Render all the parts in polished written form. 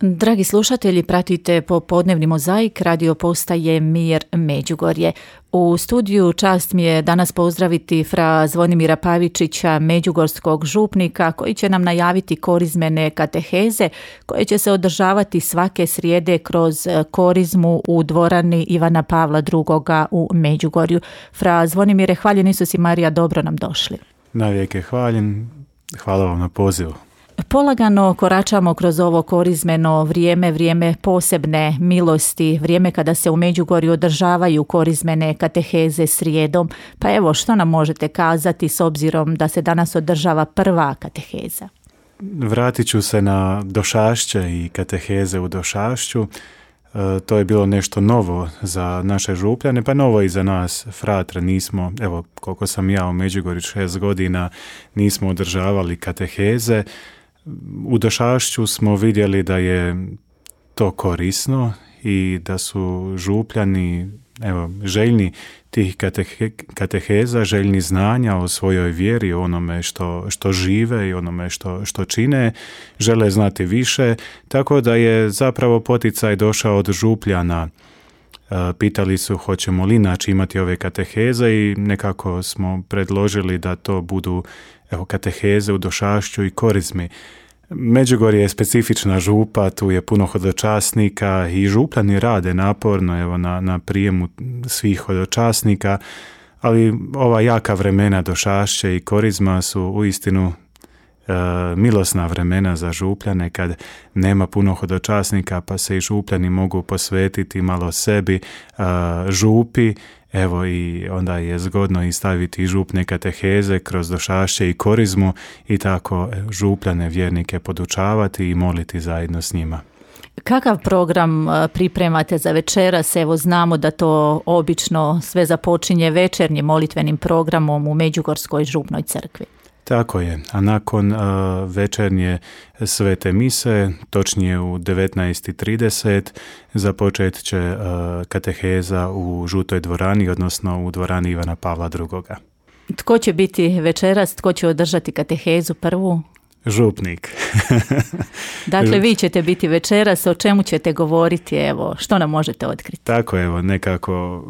Dragi slušatelji, pratite popodnevni mozaik radio postaje Mir Međugorje. U studiju čast mi je danas pozdraviti fra Zvonimira Pavičića, međugorskog župnika, koji će nam najaviti korizmene kateheze koje će se održavati svake srijede kroz korizmu u dvorani Ivana Pavla II. U Međugorju. Fra Zvonimire, hvaljen Isus i Marija, dobro nam došli. Navijek hvaljen, hvala vam na pozivu. Polagano koračamo kroz ovo korizmeno vrijeme posebne milosti, vrijeme kada se u Međugorju održavaju korizmene kateheze srijedom. Pa evo, što nam možete kazati s obzirom da se danas održava prva kateheza? Vratit ću se na došašće i kateheze u došašću. To je bilo nešto novo za naše župljane, pa novo i za nas fratre. Nismo, evo koliko sam ja u Međugorju 6 godina, nismo održavali kateheze. U došašću smo vidjeli da je to korisno i da su župljani željni tih kateheza, željni znanja o svojoj vjeri, o onome što žive i onome što čine, žele znati više, tako da je zapravo poticaj došao od župljana. Pitali su hoćemo li inače imati ove kateheze i nekako smo predložili da to budu kateheze u došašću i korizmi. Međugorje je specifična župa, tu je puno hodočasnika i župljani rade naporno na prijemu svih hodočasnika, ali ova jaka vremena došašće i korizma su uistinu milosna vremena za župljane kad nema puno hodočasnika, pa se i župljani mogu posvetiti malo sebi, župi. Evo i onda je zgodno i staviti župne kateheze kroz došašće i korizmu i tako župljane vjernike podučavati i moliti zajedno s njima. Kakav program pripremate za večeras? Evo, znamo da to obično sve započinje večernjim molitvenim programom u Međugorskoj župnoj crkvi. Tako je, a nakon večernje svete mise, točnije u 19:30, započet će kateheza u žutoj dvorani, odnosno u dvorani Ivana Pavla II. Tko će biti večeras, tko će održati katehezu prvu? Župnik. Dakle, vi ćete biti večeras, o čemu ćete govoriti, evo, što nam možete otkriti? Tako, evo, nekako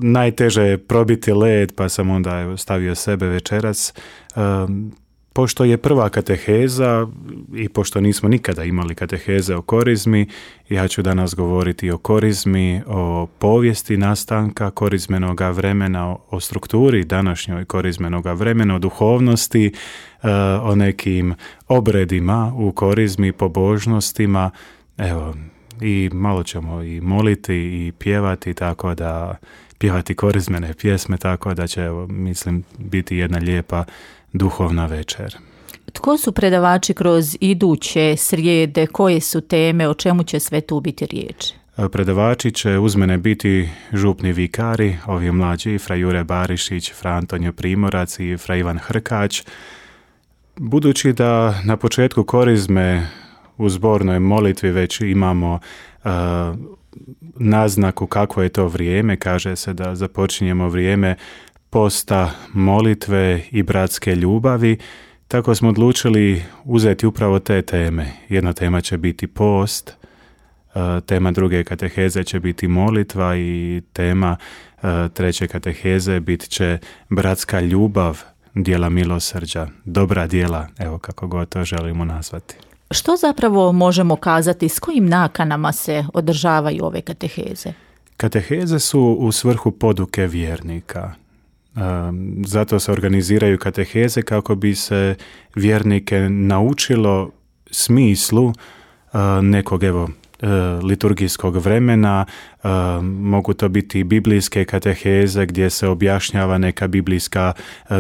najteže je probiti led, pa sam onda stavio sebe večeras. Pošto je prva kateheza i pošto nismo nikada imali kateheze o korizmi, ja ću danas govoriti o korizmi, o povijesti nastanka korizmenoga vremena, o strukturi današnjoj korizmenoga vremena, o duhovnosti, o nekim obredima u korizmi, pobožnostima. Evo, i malo ćemo i moliti i pjevati, tako da pjevati korizmene pjesme, tako da će, mislim, biti jedna lijepa duhovna večer. Tko su predavači kroz iduće srijede, koje su teme, o čemu će sve tu biti riječ? Predavači će uz mene biti župni vikari, ovi mlađi, fra Jure Barišić, fra Antonio Primorac i fra Ivan Hrkać. Budući da na početku korizme u zbornoj molitvi već imamo naznaku kakvo je to vrijeme, kaže se da započinjemo vrijeme posta, molitve i bratske ljubavi, tako smo odlučili uzeti upravo te teme. Jedna tema će biti post, tema druge kateheze će biti molitva i tema treće kateheze bit će bratska ljubav, djela milosrđa, dobra djela, evo kako god to želimo nazvati. Što zapravo možemo kazati, s kojim nakanama se održavaju ove kateheze? Kateheze su u svrhu poduke vjernika. Zato se organiziraju kateheze kako bi se vjernike naučilo smislu nekog liturgijskog vremena. Mogu to biti biblijske kateheze gdje se objašnjava neka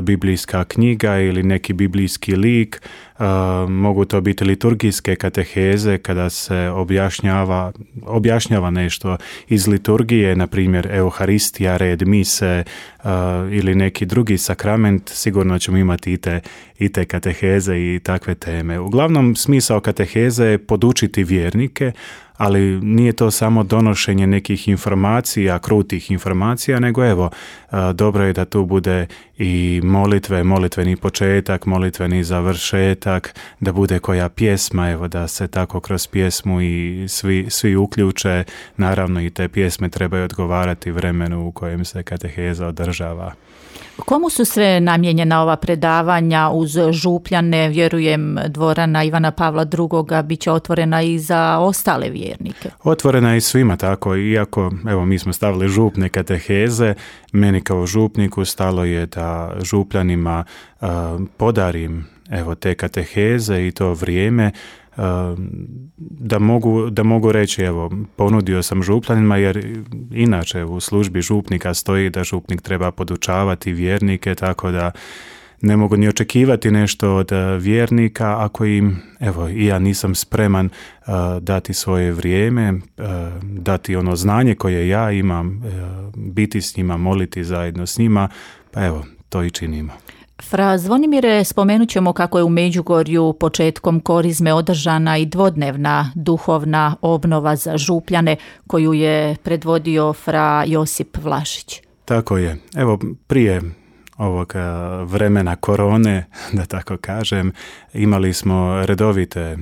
biblijska knjiga ili neki biblijski lik. Mogu to biti liturgijske kateheze kada se objašnjava nešto iz liturgije, na primjer Euharistija, red mise ili neki drugi sakrament. Sigurno ćemo imati i te kateheze i takve teme. Uglavnom, smisao kateheze je podučiti vjernike, ali nije to samo donošenje nekih informacija, krutih informacija, nego dobro je da tu bude i molitveni početak, molitveni završetak, da bude koja pjesma, evo da se tako kroz pjesmu i svi uključe. Naravno i te pjesme trebaju odgovarati vremenu u kojem se kateheza održava. Komu su sve namijenjena ova predavanja uz župljane? Vjerujem dvorana Ivana Pavla II. Bit će otvorena i za ostale vjernike. Otvorena je i svima tako, iako evo mi smo stavili župne kateheze, meni kao župniku stalo je da župljanima podarim evo te kateheze i to vrijeme, da mogu reći evo ponudio sam župljanima, jer inače u službi župnika stoji da župnik treba podučavati vjernike, tako da ne mogu ni očekivati nešto od vjernika ako im, evo i ja nisam spreman dati svoje vrijeme, dati ono znanje koje ja imam, biti s njima, moliti zajedno s njima, pa evo to i činimo. Fra Zvonimire, spomenut ćemo kako je u Međugorju početkom korizme održana i dvodnevna duhovna obnova za župljane koju je predvodio fra Josip Vlašić. Tako je. Evo prije ovog vremena korone, da tako kažem, imali smo redovite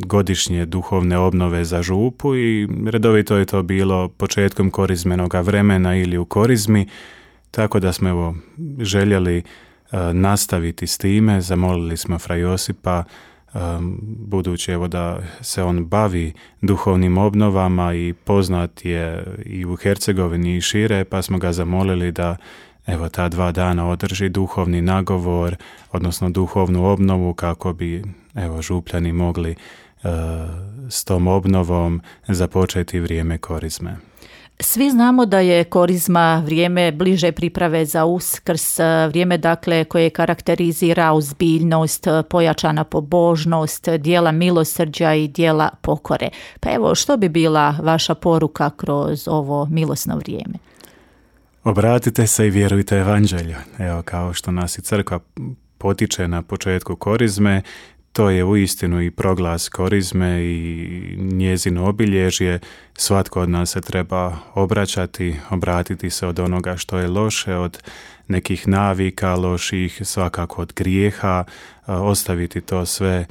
godišnje duhovne obnove za župu i redovito je to bilo početkom korizmenoga vremena ili u korizmi, tako da smo evo željeli nastaviti s time. Zamolili smo fra Josipa, budući evo da se on bavi duhovnim obnovama i poznat je i u Hercegovini i šire, pa smo ga zamolili da evo ta 2 dana održi duhovni nagovor, odnosno duhovnu obnovu, kako bi evo župljani mogli s tom obnovom započeti vrijeme korizme. Svi znamo da je korizma vrijeme bliže priprave za Uskrs, vrijeme dakle koje karakterizira ozbiljnost, pojačana pobožnost, djela milosrđa i djela pokore. Pa evo, što bi bila vaša poruka kroz ovo milosno vrijeme? Obratite se i vjerujte evanđelju. Evo, kao što nas i crkva potiče na početku korizme, to je uistinu i proglas korizme i njezino obilježje. Svatko od nas se treba obratiti se od onoga što je loše, od nekih navika loših, svakako od grijeha, ostaviti to sve,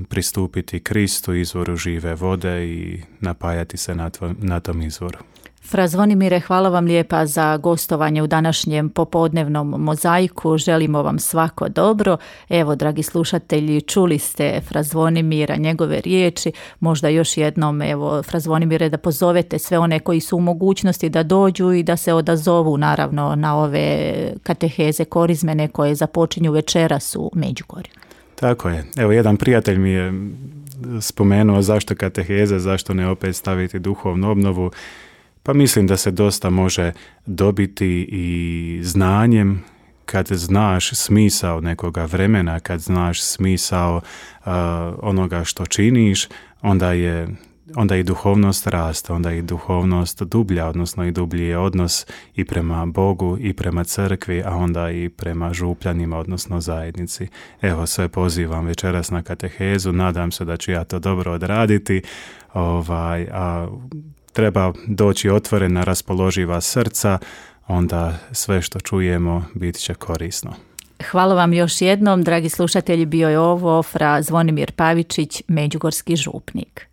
pristupiti Kristu, izvoru žive vode i napajati se na tom izvoru. Fra Zvonimire, hvala vam lijepa za gostovanje u današnjem popodnevnom mozaiku. Želimo vam svako dobro. Evo, dragi slušatelji, čuli ste fra Zvonimira, njegove riječi. Možda još jednom, evo, fra Zvonimire, da pozovete sve one koji su u mogućnosti da dođu i da se odazovu, naravno, na ove kateheze korizmene koje započinju večeras u Međugorju. Tako je. Evo, jedan prijatelj mi je spomenuo zašto kateheze, zašto ne opet staviti duhovnu obnovu. Pa mislim da se dosta može dobiti i znanjem kad znaš smisao nekoga vremena, kad znaš smisao onoga što činiš, onda i duhovnost raste, onda i duhovnost dublja, odnosno i dublji je odnos i prema Bogu i prema crkvi, a onda i prema župljanima, odnosno zajednici. Evo, sve pozivam večeras na katehezu, nadam se da ću ja to dobro odraditi, a treba doći otvorena, raspoloživa srca, onda sve što čujemo bit će korisno. Hvala vam još jednom, dragi slušatelji, bio je ovo fra Zvonimir Pavičić, međugorski župnik.